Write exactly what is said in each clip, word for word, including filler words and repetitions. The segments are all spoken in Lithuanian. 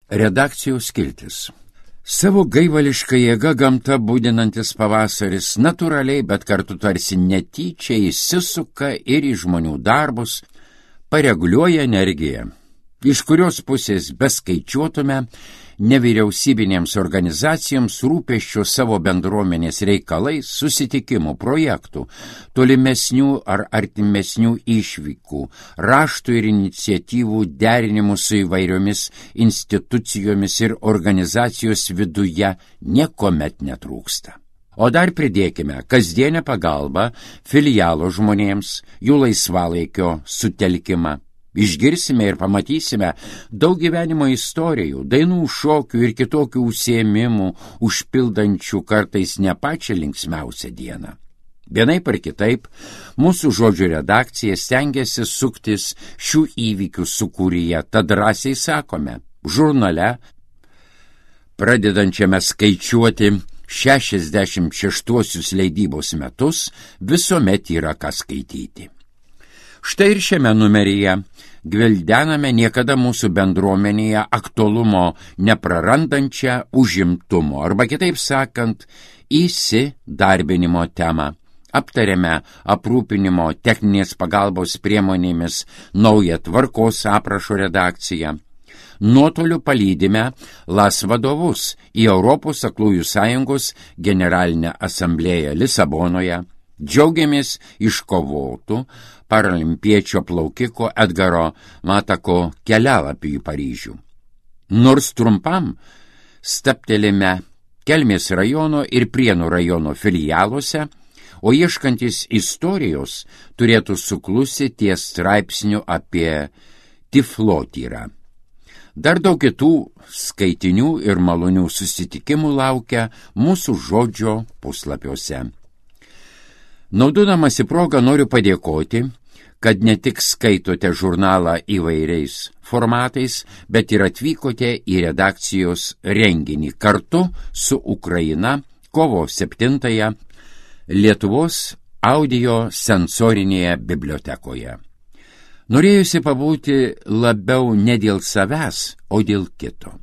Redakcijos skiltis. Savo gaivališką jėgą gamta būdinantis pavasaris natūraliai, bet kartu tarsi netyčia įsisuka ir į žmonių darbus, pareguliuoja energiją, iš kurios pusės beskaičiuotume nevyriausybinėms organizacijoms rūpesčio savo bendruomenės reikalais, susitikimų, projektų, tolimesnių ar artimesnių išvykų, raštų ir iniciatyvų derinimų su įvairiomis institucijomis ir organizacijos viduje niekuomet netrūksta. O dar pridėkime kasdienę pagalbą filialo žmonėms, jų laisvalaikio sutelkimą. Išgirsime ir pamatysime daug gyvenimo istorijų, dainų, šokių ir kitokių užsiėmimų, užpildančių kartais ne pačią linksmiausią dieną. Vienaip ar kitaip, mūsų žodžių redakcija stengiasi suktis šių įvykių sūkuryje, tad drąsiai sakome, žurnale, pradedančiame skaičiuoti šešiasdešimt šeštuosius leidybos metus, visuomet yra ką skaityti. Štai ir šiame numeryje gvildename niekada mūsų bendruomenėje aktualumo neprarandančią užimtumo, arba kitaip sakant, įsidarbinimo temą. Aptarėme aprūpinimo techninės pagalbos priemonėmis naują tvarkos aprašo redakciją. Nuotoliu palydime LAS vadovus į Europos aklųjų sąjungos generalinę asamblėją Lisabonoje. Džiaugiamės iškovotų paralimpiečio plaukiko Edgaro Matako kelialapių į Paryžių. Nors trumpam stabtelime Kelmės rajono ir Prienų rajono filialuose, o ieškantis istorijos turėtų suklusti ties straipsniu apie tiflotyrą. Dar daug kitų skaitinių ir malonių susitikimų laukia mūsų žodžio puslapiuose. Naudodamasi progą noriu padėkoti, kad ne tik skaitote žurnalą įvairiais formatais, bet ir atvykote į redakcijos renginį kartu su Ukraina kovo septintąją Lietuvos audio sensorinėje bibliotekoje. Norėjusi pabūti labiau ne dėl savęs, o dėl kito.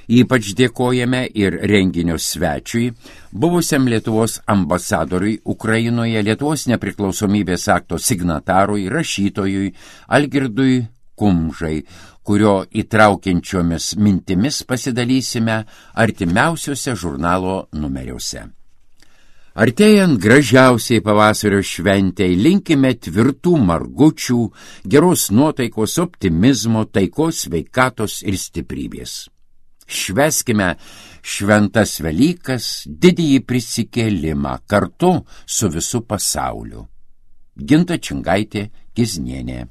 Ypač dėkojame ir renginio svečiui, buvusiam Lietuvos ambasadoriui Ukrainoje, Lietuvos nepriklausomybės akto signatarui, rašytojui Algirdui Kumžai, kurio įtraukiančiomis mintimis pasidalysime artimiausiuose žurnalo numeriuose. Artėjant gražiausiai pavasario šventei, linkime tvirtų margučių, geros nuotaikos, optimizmo, taikos, sveikatos ir stiprybės. Švęskime šventas Velykas, didįjį prisikėlimą kartu su visu pasauliu. Ginta Čingaitė Kiznienė.